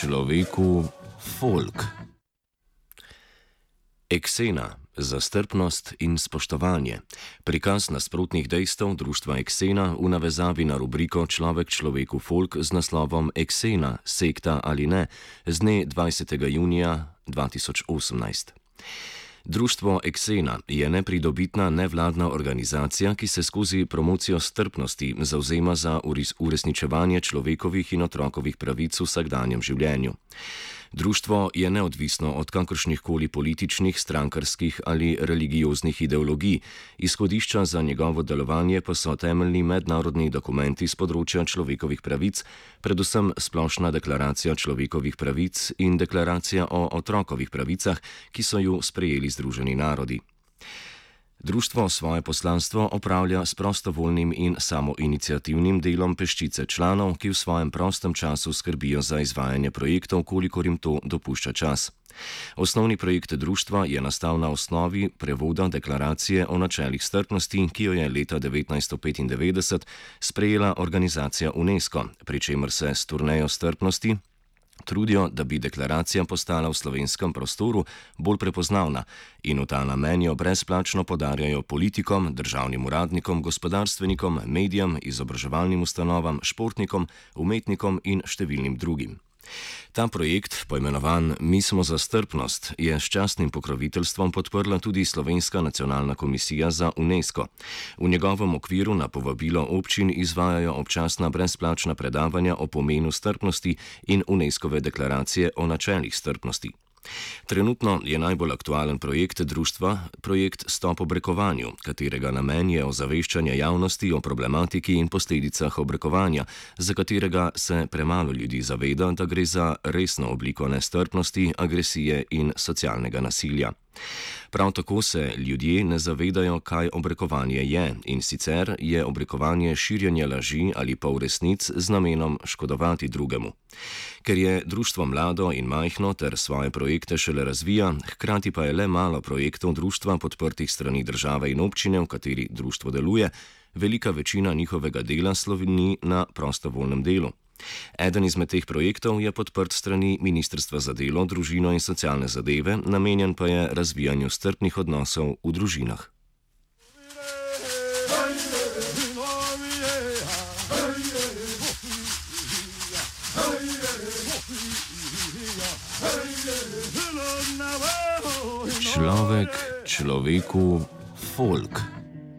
človeku folk. Eksena za strpnost in spoštovanje. Prikaz nasprotnih dejstev društva Eksena v navezavi na rubriko Človek človeku folk z naslovom Eksena, sekta ali ne, z dne 20. junija 2018. Društvo Eksena je nepridobitna nevladna organizacija, ki se skozi promocijo strpnosti zavzema za uresničevanje človekovih in otrokovih pravic v vsakdanjem življenju. Društvo je neodvisno od kakršnihkoli političnih, strankarskih ali religioznih ideologij, izhodišča za njegovo delovanje pa so temeljni mednarodni dokumenti z področja človekovih pravic, predvsem Splošna deklaracija človekovih pravic in Deklaracija o otrokovih pravicah, ki so ju sprejeli Združeni narodi. Društvo svoje poslanstvo opravlja s prostovoljnim in samoiniciativnim delom peščice članov, ki v svojem prostem času skrbijo za izvajanje projektov, kolikor jim to dopušča čas. Osnovni projekt društva je nastal na osnovi prevoda Deklaracije o načelih strpnosti, ki jo je leta 1995 sprejela organizacija UNESCO, pri čemer se s turnejo strpnosti trudijo, da bi deklaracija postala v slovenskem prostoru bolj prepoznavna in v ta namen jo brezplačno podarjajo politikom, državnim uradnikom, gospodarstvenikom, medijem, izobraževalnim ustanovam, športnikom, umetnikom in številnim drugim. Ta projekt, poimenovan Mi smo za strpnost, je s častnim pokroviteljstvom podprla tudi Slovenska nacionalna komisija za UNESCO. V njegovem okviru na povabilo občin izvajajo občasna brezplačna predavanja o pomenu strpnosti in UNESCO-ve deklaracije o načelih strpnosti. Trenutno je najbolj aktualen projekt društva projekt Stop obrekovanju, katerega namen je ozaveščanje javnosti o problematiki in posledicah obrekovanja, za katerega se premalo ljudi zaveda, da gre za resno obliko nestrpnosti, agresije in socialnega nasilja. Prav tako se ljudje ne zavedajo, kaj obrekovanje je, in sicer je obrekovanje širjenje laži ali polresnic z namenom škodovati drugemu. Ker je društvo mlado in majhno ter svoje projekte šele razvija, hkrati pa je le malo projektov društva podprtih strani države in občine, v kateri društvo deluje, velika večina njihovega dela slovi na prostovoljnem delu. Eden izmed teh projektov je podprt strani Ministrstva za delo, družino in socialne zadeve, namenjen pa je razvijanju strpnih odnosov v družinah. Človek človeku folk.